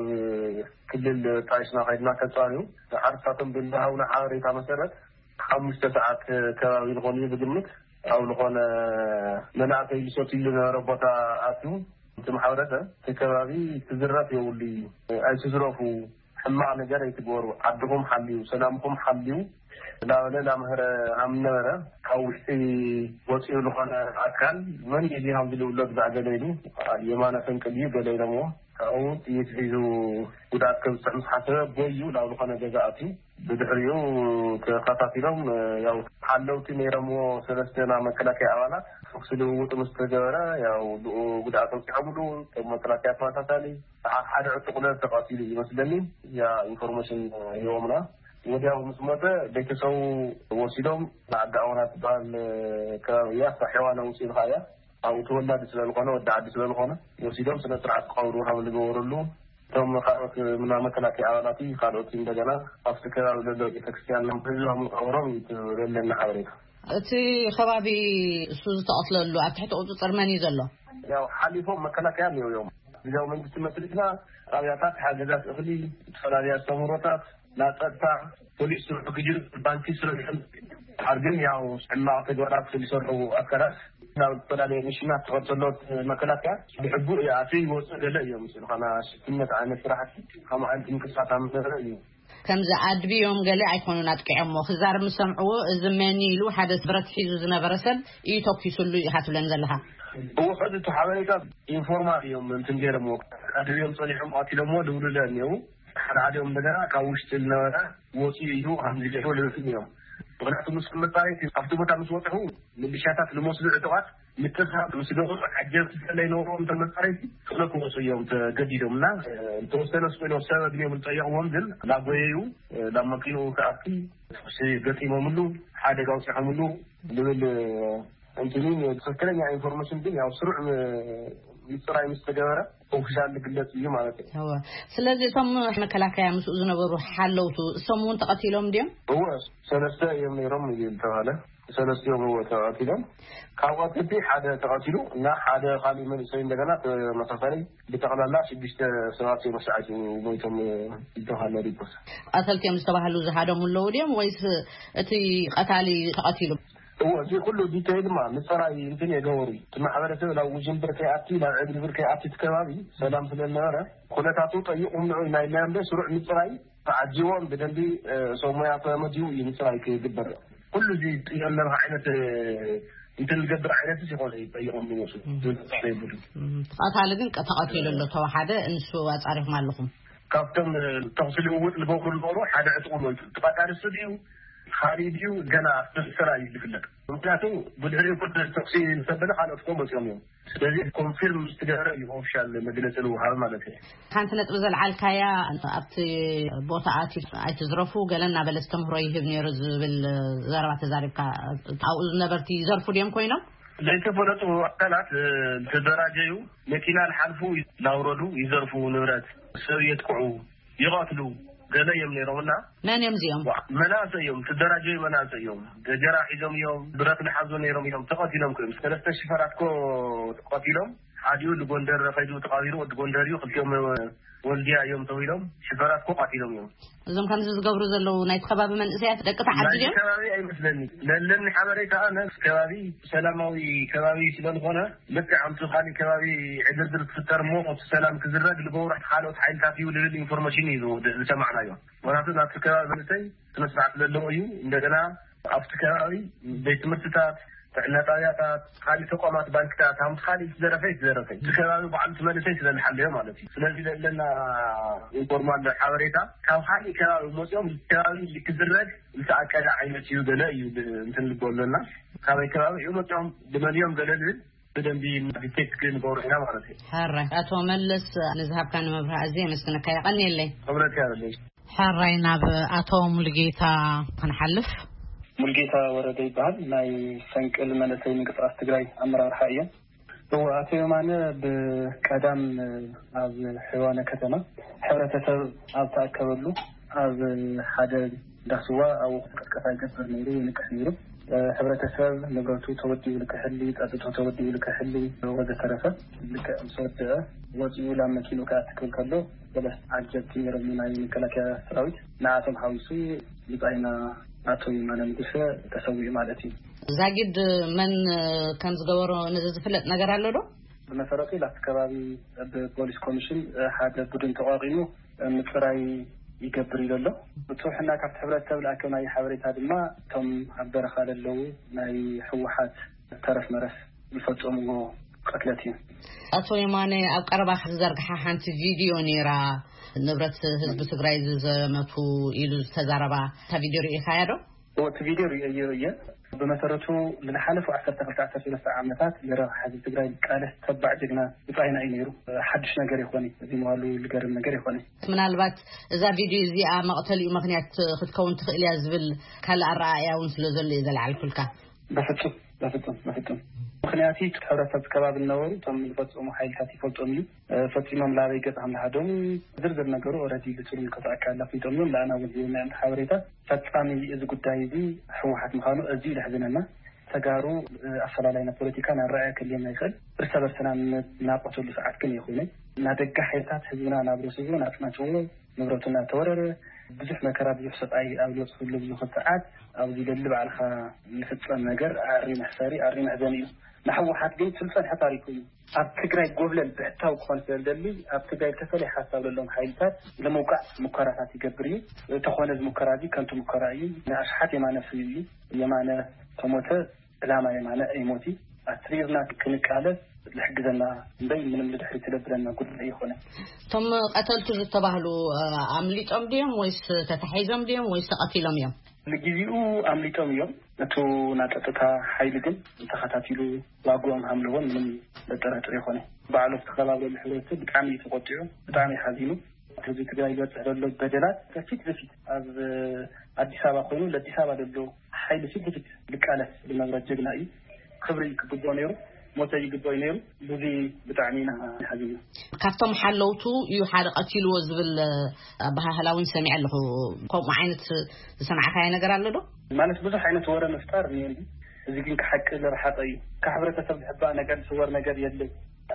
ክልል ጣይስና ከይድና ከጻንዩ፣ ንሓርሳቶም ብዝሃቡና ሓበሬታ መሰረት ሓሙሽተ ሰዓት ከባቢ ዝኾኑ እዩ ዝግምት። ኣብ ዝኾነ መናእሰይ ዝሰትይሉ ዝነበረ ቦታ ኣትዩ፣ እቲ ማሕበረሰብ እቲ ከባቢ ክዝረፍ የብሉ እዩ፣ ኣይትዝረፉ፣ ሕማቕ ነገር ኣይትግበሩ፣ ዓድኹም ሓልዩ፣ ሰላምኹም ሓልዩ እናበለ እናምሀረ ሃም ነበረ። ካብ ውሽጢ ወፂኡ ዝኾነ ኣካል መን እዩ እዚ ሃም ዝልውሎ ብዛዕ ገለ ኢሉ፣ የማነ ፈንቅል እዩ ገለ ኢሎምዎ። ካብኡ ጥይት ሒዙ ጉድኣት ከብፅሕ ምስ ሓሰበ ጎዩ ናብ ዝኾነ ገዛ ኣትዩ። ብድሕሪኡ ተኸታቲሎም፣ ያው ሓለውቲ ነይሮምዎ ሰለስተ ናይ መከላከያ ኣባላት ተኩሲ ልውውጥ ምስ ተገበረ፣ ያው ብኡ ጉድኣት ኣውፂዖምሉ። እቶም መከላከያ ተመሳሳሊ ሰዓት ሓደ ዕጡቕ ለ ተቐቲሉ ይመስለኒ፣ ያ ኢንፎርሜሽን ሂቦምና። ወዲያው ምስ ሞተ ቤተሰቡ ወሲዶም ንዓዲ ኣወና ትበሃል ከባቢ እያ፣ ሳሒዋ ነውፂ ኢልካ እያ። ኣብኡ ተወላዲ ስለ ዝኾነ፣ ወዲ ዓዲ ስለ ዝኾነ፣ ወሲዶም ስነ ስርዓት ክቐብሩ ከም ዝገበሩሉ፣ እቶም ካልኦት ምና መከላከያ ኣባላት ካልኦት እንደገና ኣብቲ ከባቢ ዘሎ ቤተክርስትያን ህዝባም ቀብሮም እዩ ትብለና ሓበሬታ። እቲ ከባቢ እሱ ዝተቐትለሉ ኣብ ትሕቲ ቁፅፅር መን እዩ ዘሎ? ያው ሓሊፎም መከላከያ ነይሩ እዮም። ግዜያዊ መንግስቲ መስሪትና ጣብያታት፣ ሓገዛት እኽሊ፣ ዝተፈላለዩ ኣስተምህሮታት፣ ናይ ጸጥታ፣ ፖሊስ ስርሑ ክጅር፣ ባንኪ ስርሑ ይሕም። ድሓር ግን ያው ሕማቕ ተግባራት ዝሰርሑ ኣካላት ናብ ዝተፈላለዩ ሚሽናት ተኸተሎት መከላከያ ብሕቡእ ይኣትዩ ይወፁ ገለ እዮም። ዝብሉ ኻና ሽፍትነት ዓይነት ስራሕቲ ከምኡ ዓይነት ምንቅስቃስ ኣብ ዝነበረ እዩ። ከምዚ ኣድብዮም ገለ ኣይኮኑን ኣጥቂዖሞ። ክዛረብ ምስ ሰምዕዎ፣ እዚ መን ኢሉ ሓደ ብረት ሒዙ ዝነበረ ሰብ እዩ ተኲሱሉ ኢኻ ትብለን ዘለኻ? እዎ፣ ሕዚ እቲ ሓበሬታ ኢንፎርማል እዮም እንትን ገይሮምዎ። ኣድብዮም ጸኒሖም ቀቲሎምዎ ዝብሉ ለ እኒአው። ሓደ ሓዲኦም እንደገና ካብ ውሽጢ ዝነበረ ወፂኡ እዩ ከምዚ ገይሩ ልብል እዮም። ምክንያቱ ምስ መፃረይቲ ኣብቲ ቦታ ምስ ወፅሑ፣ ምልሻታት ዝመስሉ ዕጡቓት ምትእስሳር ምስ ገበሩ፣ ዓጀብቲ ስለይነበርዎም እቶም መፃረይቲ ቶሎ ክወፁ እዮም ተገዲዶም እና፣ ዝተወሰነ ስቆ ሰበብ እዮም ዝጠየቕዎም፣ ግን ላጎየዩ ናብ መኪንኡ ክኣቲ ተኩሲ ገጢሞምሉ፣ ሓደጋ ኣውፂሖምሉ ዝብል እንትኑ ትክክለኛ ኢንፎርሜሽን ግን ያው ስሩዕ ም- ምፅራይ ምስ ተገበረ ኦፊሻል ዝግለፅ እዩ ማለት እዩ። እወ። ስለዚ እቶም መከላከያ ምስኡ ዝነበሩ ሓለውቱ እሶም እውን ተቐቲሎም ድዮም? እወ፣ ሰለስተ እዮም ነይሮም እዩ ዝተባለ። ሰለስቲኦም እወ ተቐቲሎም። ካብ ቀትልቲ ሓደ ተቐቲሉ እና ሓደ ካሊእ መንእሰይ እንደገና ተመሳሳሊ፣ ብጠቕላላ ሽዱሽተ ሰባት እዮም ሰዓት ሞይቶም ዝተባለ ሪፖርት። ቀተልቲ እዮም ዝተባህሉ ዝሃደሙ ኣለዉ ድዮም ወይስ እቲ ቀታሊ ተቐቲሉ? እወ፣ እዚ ኩሉ ዲቴይል ድማ ምፅራይ እንትን የገበሩ እዩ። እቲ ማሕበረሰብ ናብ ውጅንብር ከይኣቲ፣ ናብ ዕግርግር ከይኣቲ፣ እቲ ከባቢ ሰላም ስለዝነበረ ኩነታቱ ጠይቑም ንዑ ናይ ኢልና እምበር ስሩዕ ምፅራይ ተዓጂቦም ብደንቢ እ፣ ሰብ ሞያ ተመዲቡ እዩ ምፅራይ ክግበር። ኩሉ እዚ ጥየለብ ዓይነት እ፣ እንትን ዝገብር ዓይነት ይኾነ እዩ ጠይቖም ዝመፁ። ዝመፅእ ይብሉ። ተቐታሊ ግን ተቐቲሉ ኣሎ ተወሓደ። ንሱ ኣፃሪኹም ኣለኹም? ካብቶም ተኽሲ ልውውጥ ዝገብሩ ዝነበሩ ሓደ ዕጥቁ ሞይቱ። እቲ ቀታሊ እሱ ድዩ ካሊእ ድዩ ገና ኣብቲ ስራ እዩ ዝፍለጥ። ምክንያቱ ብድሕሪኡ ኩሉ ተኽሲ ዝተበለ ካልኦት ኮ መፅኦም እዮም። ስለዚ ኮንፊርም ዝተገበረ እዩ ኦፊሻል መግለፂ ልውሃብ ማለት እዩ። ሓንቲ ነጥቢ ዘልዓልካያ ኣብቲ ቦታ ኣቲ ኣይትዝረፉ ገለ እናበለ ዝተምህሮ ይህብ ነይሩ ዝብል ዘረባ ተዛሪብካ። ኣብኡ ዝነበርቲ ይዘርፉ ድዮም ኮይኖም? ዘይተፈለጡ ኣካላት እ፣ ዝተደራጀዩ መኪና ዝሓልፉ እናውረዱ ይዘርፉ፣ ንብረት ሰብ የጥቅዑ፣ ይቐትሉ ገለ እዮም ነይሮም እና መን እዮም እዚኦም? መናእሰይ እዮም፣ ዝተደራጀዩ መናእሰይ እዮም። ገጀራ ሒዞም እዮም፣ ብረት ዝሓዙ ነይሮም እዮም፣ ተቐቲሎም እዮም። ሰለስተ ሽፈራት ኮ ተቐቲሎም፣ ሓዲኡ ንጎንደር ከይዱ ተቐቢሩ፣ ወዲ ጎንደር እዩ። ክልቲኦም ወልድያ እዮም ተባሂሎም ሽፈራት ኮ ቀቲሎም እዮም። እዞም ከምዚ ዝገብሩ ዘለዉ ናይቲ ከባቢ መንእሰያት ደቂ ተዓዲ ናይቲ ድዮም? ከባቢ ኣይመስለኒ። ለለኒ ሓበሬታ ኣነ እቲ ከባቢ ሰላማዊ ከባቢ ስለዝኾነ ልክዕ ኣብቲ ካሊእ ከባቢ ዕግርግር ክፍጠር እሞ እቲ ሰላም ክዝረግ ዝገብሩ ካልኦት ሓይልታት እዩ ዝብል ኢንፎርሜሽን እዩ ዝሰማዕናዮ። ምክንያቱ ናብቲ ከባቢ መንእሰይ ስነ ስርዓት ዘለዎ እዩ። እንደገና ኣብቲ ከባቢ ቤት ትምህርትታት፣ ጥዕና ጣብያታት፣ ካልእ ተቋማት ባንክታት፣ ሃምቲ ካልእ ዝተዘረፈ ዝተዘረፈ እቲ ከባቢ ባዕሉ እቲ መንእሰይ ስለዝሓለዮ ማለት እዩ። ስለዚ ዘለና ኢንፎርማል ሓበሬታ ካብ ካልእ ከባቢ መፅኦም ከባቢ ክዝረግ ዝተኣቀደ ዓይነት እዩ ገለ እዩ ብ- እንትን ልቦ ኣለና። ካበይ ከባቢ እዩ መፅኦም ብመን እዮም ገለ ዝብል ብደንቢ ዲቴክት ክንገብሮ ኢና ማለት እዩ። ሕራይ ኣቶ መለስ ንዝሃብካኒ መብርሂ ኣዝየ የመስግነካ። የቐንየለይ። ክብረት ያለለይ። ሕራይ ናብ ኣቶ ሙሉጌታ ክንሓልፍ። ሙልጌታ ወረደ ይበሃል። ናይ ፈንቅል መንእሰይ ምንቅስቃስ ትግራይ ኣመራርሓ እየ። እወ፣ ኣቶ የማነ ብቀዳም ኣብ ሕዋነ ከተማ ሕብረተሰብ ኣብ ተኣከበሉ ኣብ ሓደ ዳስዋ ኣብኡ ቅስቀሳ ይገብር ነይሩ፣ ይንቅሕ ነይሩ። ሕብረተሰብ ንብረቱ ተወዲኡ ልክሕሊ፣ ጸጥቶ ተወዲኡ ልክሕሊ ወዘተረፈ። ልክዕ ምስ ወደአ ወፂኡ ላብ መኪንኡ ክኣትክል ከሎ ሰለስተ ዓጀብቲ ነይሮም ናይ መከላከያ ሰራዊት፣ ንኣቶም ሓዊሱ ብጻይና ኣቶ ይማነ ንጉሰ ተሰዊኡ ማለት እዩ። ዛጊድ መን ከም ዝገበሮ ነዚ ዝፍለጥ ነገር ኣሎ ዶ? ብመሰረቱ ላፍቲ ከባቢ ብፖሊስ ኮሚሽን ሓደ ቡድን ተቋቂሙ ምፅራይ ይገብር ኢሉ ኣሎ። ብፅሑሕና ካብቲ ሕብረተሰብ ዝኣከብናዮ ሓበሬታ ድማ እቶም ኣብ በረኻ ለለዉ ናይ ህወሓት ተረፍ መረፍ ዝፈፀምዎ ቅትለት እዩ። ኣቶ የማነ ኣብ ቀረባ ክትዘርግሓ ሓንቲ ቪድዮ ነይራ፣ ንብረት ህዝቢ ትግራይ ዝዘመቱ ኢሉ ዝተዛረባ። እታ ቪድዮ ርኢኻያ ዶ? እወ፣ እቲ ቪድዮ ርእየዮ እየ። ብመሰረቱ ንዝሓለፉ ዓሰርተ ክልተ ዓሰርተ ሰለስተ ዓመታት ንረብሓ ህዝቢ ትግራይ ዝቃለስ ተባዕ ጀግና ብጻይና እዩ ነይሩ። ሓድሽ ነገር ይኾን፣ እዚ ምባሉ ዝገርም ነገር ይኾን። ምናልባት እዛ ቪድዮ እዚኣ መቕተሊኡ ምኽንያት ክትከውን ትኽእል እያ ዝብል ካልእ ኣረኣእያ እውን ስለ ዘሎ እየ ዘልዓልኩልካ። በፍጹም በፍጹም በፍጹም። ምኽንያቱ እቲ ሕብረተሰብ ከባቢ ዝነበሩ እቶም ዝፈጸሙ ሓይልታት ይፈልጦም እዩ። ፈጺሞም ላበይ ገጽ ከም ዝሃደሙ ዝርዝር ነገሩ ኦረዲ ብትልምልከቶ ኣካል ኣፍሊጦም እዮም። ንኣና እውን ሂቦምና እዮም ሓበሬታ። ፈጻሚ እዚ ጉዳይ እዚ ህወሓት ምዃኑ ኣዝዩ እዩ ዘሕዝነና። ተጋሩ ኣፈላላይና ፖለቲካን ኣረኣእያ ክህልየና ይኽእል። እርሰ በርስና እናቆተሉ ሰዓት ግን ኣይኮነን። እናደገ ሓይልታት ህዝብና እናብረስዎ፣ እናጽናትዎ፣ ንብረቱ እናተወረረ፣ ብዙሕ መከራ ብዙሕ ስቓይ ኣብ ዝበፅሐሉ ኣብዚ ሰዓት ኣብዚ ደሊ ባዕልኻ ዝፍፀም ነገር ኣሪ መሕሰሪ ኣሪ መሕዘኒ እዩ። ንህወሓት ግን እቲ ዝፀንሐ ታሪኩ እዩ። ኣብ ትግራይ ጎብለል ብሕታዊ ክኾን ስለ ዝደሊ ኣብ ትግራይ ዝተፈላለየ ሓሳብ ዘለዎም ሓይልታት ንምውቃዕ ሙከራታት ይገብር እዩ። እንተኾነ እዚ ሙከራ እዚ ከንቱ ሙከራ እዩ። ንኣሽሓት የማነ ፍልዩ እዩ። የማነ ተሞተ ዕላማ የማነ ኣይሞት እዩ። ኣትሪርና ክንቃለስ ዝሕግዘና እምበይ ምንም ንድሕሪት ዝደብረና ጉዳይ ኣይኮነን። እቶም ቀተልቱ ዝተባህሉ ኣምሊጦም ድዮም ወይስ ተታሒዞም ድዮም ወይስ ተቐቲሎም እዮም? ንግዜኡ ኣምሊጦም እዮም። እቱ ናይ ጸጥታ ሓይሊ ግን ተኸታቲሉ ዋግኦም ሃምለዎን ምንም ዘጠራጥር ኣይኮነ። ባዕሉ ዝተኸባብረሉ ሕብረተሰብ ብጣዕሚ እዩ ተቆጢዑ፣ ብጣዕሚ እዩ ሓዚኑ። ህዝቢ ትግራይ ዝበፅሕ ዘሎ በደላት ፊት ንፊት ኣብ ኣዲስ ኣበባ ኮይኑ ለኣዲስ ኣበባ ዘሎ ሓይሊ ፊት ንፊት ዝቃለስ ዝነበረ ጀግና እዩ። ክብሪ ክግብኦ ነይሩ፣ ሞተ ይግብኦ እዩ ነይሩ። ብዙ ብጣዕሚ ኢና ሓዚና። ካብቶም ሓለውቱ እዩ ሓደ ቀቲልዎ ዝብል ኣበሃህላ እውን ሰሚዐ ኣለኹ። ከምኡ ዓይነት ዝሰማዕካዮ ነገር ኣሎ ዶ? ማለት ብዙሕ ዓይነት ወረ ምፍጣር እኒኦ። እዚ ግን ካብ ሓቂ ዝረሓቐ እዩ። ካብ ሕብረተሰብ ዝሕባእ ነገር ዝስወር ነገር የለን።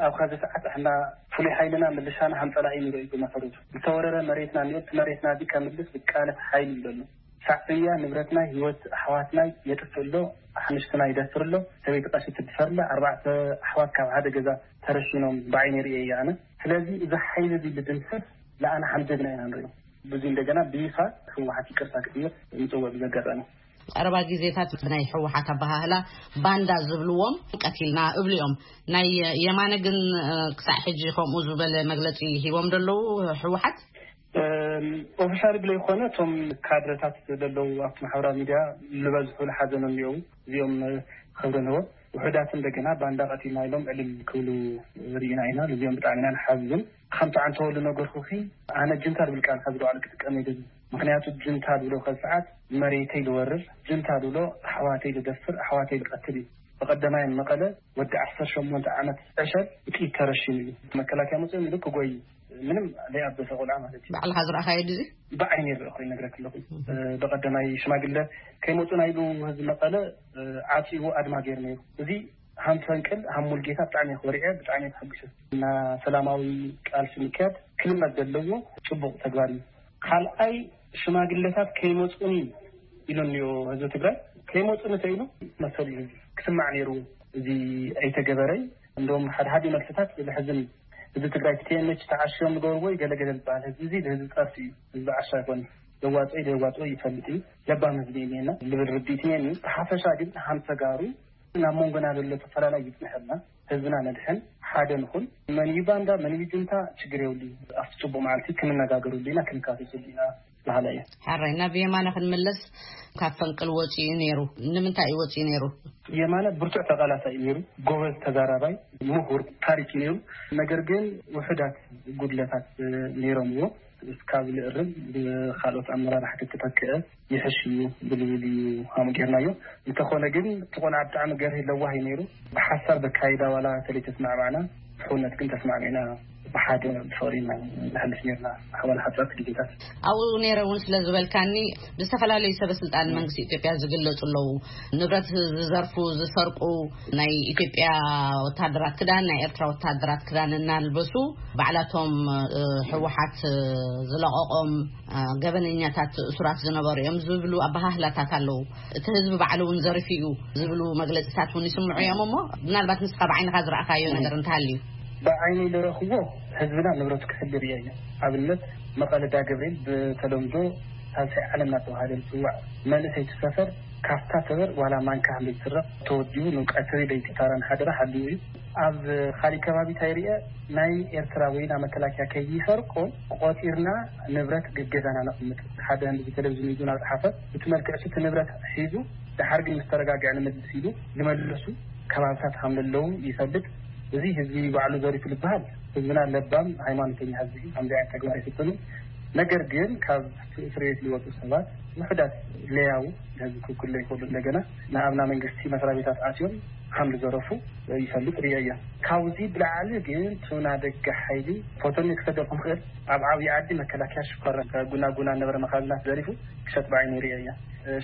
ኣብ ኸዚ ሰዓት ኣሕና ፍሉይ ሓይልና ምልሻና ሃምፀላ እዩ ንርኢ። ብመሰረቱ ዝተወረረ መሬትና እኒኦ። እቲ መሬትና እዚ ከምልስ ዝቃለስ ሓይል እዩ ዘሎ። ሻዕብያ ንብረትና፣ ህይወት ኣሕዋትና የጥፍእ ኣሎ፣ ኣሕምሽትና ይደፍር ኣሎ፣ ሰበይቲ ቀሺ ትድፈር ኣላ፣ ኣርባዕተ ኣሕዋት ካብ ሓደ ገዛ ተረሺኖም ብዓይነ ርእየ እየ ኣነ። ስለዚ እዚ ሓይሊ እዚ ልድምስስ ለኣና ሓም ጀግና ኢና ንሪኦ። ብዙ እንደገና ብይፋ ህወሓት ይቅርታ ክጥየቅ ንፅውዕ ብዘጋጣሚ። ቀረባ ግዜታት ናይ ህወሓት ኣበሃህላ ባንዳ ዝብልዎም ቀቲልና እብሉ እዮም። ናይ የማነ ግን ክሳዕ ሕጂ ከምኡ ዝበለ መግለፂ ሂቦም ደለዉ ህወሓት? ኦፊሻል ብለይኮነ እቶም ካድረታት ዘለዉ ኣብቲ ማሕበራዊ ሚድያ ዝበዝሑ ዝሓዘኑ እኒኦው። እዚኦም ክብሪ ንህቦም። ውሑዳት እንደገና ባንዳ ቀቲልና ኢሎም ዕልል ክብሉ ርኢና ኢና። እዚኦም ብጣዕሚ ኢና ንሓዝን። ከምቲ ዓንተወሉ ነገርኩኺ፣ ኣነ ጅንታ ዝብል ቃል ካብ ዝለዋሉ ክጥቀም ይደሊ። ምክንያቱ ጅንታ ዝብሎ ከብ ሰዓት መሬተይ ዝወርር፣ ጅንታ ዝብሎ ኣሕዋተይ ዝደፍር፣ ኣሕዋተይ ዝቀትል እዩ። ብቀደማይ መቐለ ወዲ ዓሰርተ ሸሞንተ ዓመት ዕሸል ብጥይት ተረሽኑ እዩ። መከላከያ መፅኦም ኢሉ ክጎይ ምንም ዘይኣበሰ ቆልዓ ማለት እዩ። ባዕልኻ ዝረኣኻዮ ድዚ? ብዓይኒ ይረእኹ ይነግረክ ኣለኹ። ብቐደማይ ሽማግለ ከይመፁና ኢሉ ህዝቢ መቐለ ዓፂዎ ኣድማ ገይሩ ነይሩ። እዚ ሃም ፈንቅል ሃም ሙልጌታ ብጣዕሚ ኮሪዐ፣ ብጣዕሚ ተሐጉሰ። እና ሰላማዊ ቃልሲ ምክያድ ክልመድ ዘለዎ ፅቡቅ ተግባር እዩ። ካልኣይ ሽማግለታት ከይመፁኒ ኢሉ እኒኦ ህዝቢ ትግራይ። ከይመፁኒ ተኢሉ መሰሉ እዩ ህዝቢ ክስማዕ ነይሩ። እዚ ኣይተገበረይ። እንደውም ሓደ ሓደ መልስታት ዝሕዝን እዩ። ህዝቢ ትግራይ ቲ ቲ ኤን ኤች ተዓሽዮም ዝገብርዎ እዩ ገለገለ ዝበሃል ህዝቢ እዚ ህዝቢ ፀርፊ እዩ። ህዝቢ ዓሻ ኣይኮነ። የዋፅኦ የዋፅኦ ይፈልጥ እዩ። ለባም ህዝቢ እዩ እኒአና ልብል ርድኢት እኒአኒ። ብሓፈሻ ግን ሃም ተጋሩ ናብ መንጎና ዘሎ ተፈላለይ ይፅንሐልና። ህዝብና ነድሕን ሓደ ንኹን። መን እዩ ባንዳ መን እዩ ጁንታ ችግር የብሉ። ኣብቲ ፅቡቅ መዓልቲ ክንነጋገርሉ ኢና ክንካሰስሉ ኢና። በሃላይ እየ። ሓራይ ናብ የማነ ክንምለስ ካብ ፈንቅል ወፂኡ ነይሩ። ንምንታይ እዩ ወፂኡ ነይሩ? የማነ ብርቱዕ ተቃላሳይ እዩ ነይሩ። ጎበዝ ተዛራባይ ምሁር ታሪክ እዩ ነይሩ። ነገር ግን ውሑዳት ጉድለታት ነይሮምዎ። እስካብ ንእርም ብካልኦት ኣመራርሓ ተተተክአ ይሕሽ እዩ ብልብል እዩ ሃሙ ጌርናዮ። እንተኾነ ግን እቲ ቆልዓ ብጣዕሚ ገርህ ለዋህ እዩ ነይሩ። ብሓሳብ በካይዳ ዋላ ተለይተስማዕማዕና ብሕውነት ግን ተስማዕሚዕና ብሓደ ብፍቕሪ ኢና ንሕልፍ ነርና። ኣሕዋል ሓፃት ግዜታት ኣብኡ ነይረ እውን ስለ ዝበልካኒ ብዝተፈላለዩ ሰበ ስልጣን መንግስቲ ኢትዮጵያ ዝግለፁ ኣለዉ። ንብረት ዝዘርፉ ዝሰርቁ ናይ ኢትዮጵያ ወታደራት ክዳን ናይ ኤርትራ ወታደራት ክዳን እናልበሱ ባዕላቶም ህወሓት ዝለቐቖም ገበነኛታት እሱራት ዝነበሩ እዮም ዝብሉ ኣበሃህላታት ኣለዉ። እቲ ህዝቢ ባዕሉ እውን ዘርፊ እዩ ዝብሉ መግለፂታት እውን ይስምዑ እዮም። እሞ ምናልባት ንስኻ ብዓይንኻ ዝረኣኻዮ ነገር እንተሃልዩ? ብዓይነይ ዝረኽቦ ህዝብና ንብረቱ ክሕሉ ርእየ እየ። ኣብነት መቐለ ዳገብርኤል ብተለምዶ ሳልሳይ ዓለም እናተባሃለ ዝፅዋዕ መንእሰይ እቲ ሰፈር ካፍታ ሰበር ዋላ ማንካ ለይትስረቕ ተወዲቡ ንቀትሪ ለይቲ ታራን ሓደራ ሓልዩ እዩ። ኣብ ካሊእ ከባቢ እንታይ ርእየ ናይ ኤርትራ ወይ ናብ መከላከያ ከይሰርቆ ቆፂርና ንብረት ገገዛና ነቕምጥ ሓደ ህንዲ ቴሌቪዥን ይዙ ናብ ፀሓፈ እቲ መልክዕ እቲ ንብረት ሒዙ ድሓር ግን ምስ ተረጋግዐ ንምልስ ኢሉ ዝመለሱ ከባብታት ከም ዘለዉ ይፈልጥ። እዚ ህዝቢ ባዕሉ ዘሪፉ ዝበሃል ህዝብና ለባም ሃይማኖተኛ ህዝቢ እዩ። ከምዚ ዓይነት ተግባር ይፍፅሙ። ነገር ግን ካብ እስር ቤት ዝወፁ ሰባት ውሕዳት ለያው ንህዝቢ ክውክሉ ይኽእሉ። እንደገና ንኣብና መንግስቲ መስሪያ ቤታት ኣትዮም ከም ዝዘረፉ ይፈልጥ ርእዮ እየ። ካብዚ ብላዕሊ ግን ቱና ደገ ሓይሊ ፎቶኒ ክሰደኩም ክእል ኣብ ዓብዪ ዓዲ መከላከያ ሽኮራ ጉና ጉና ነበረ መኻዝናት ዘሪፉ ክሸጥ ብዓይኒ ርእዮ እየ።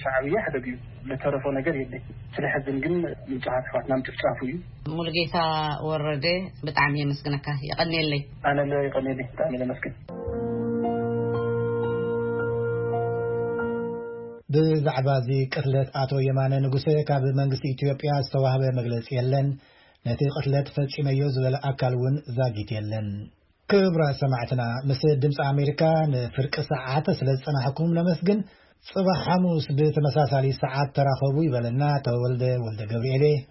ሻዕብያ ሕደግ እዩ። ለተረፎ ነገር የለይ። ስለ ሕዝን ግን ንጹሃት ኣሕዋትና ምጭፍጫፉ እዩ። ሙሉጌታ ወረደ ብጣዕሚ የመስግነካ። የቐንየለይ። ኣነ ለ የቐንየለይ። ብጣዕሚ የመስግን። ብዛዕባ እዚ ቅትለት ኣቶ የማነ ንጉሰ ካብ መንግስቲ ኢትዮጵያ ዝተዋህበ መግለጺ የለን። ነቲ ቅትለት ፈጺመዮ ዝበለ ኣካል እውን ዛጊት የለን። ክቡራት ሰማዕትና፣ ምስ ድምፂ ኣሜሪካ ንፍርቂ ሰዓት ስለ ዝጸናሕኩም ነመስግን። ጽባሕ ሓሙስ ብተመሳሳሊ ሰዓት ተራኸቡ ይበለና ተወልደ ወልደ ገብርኤል።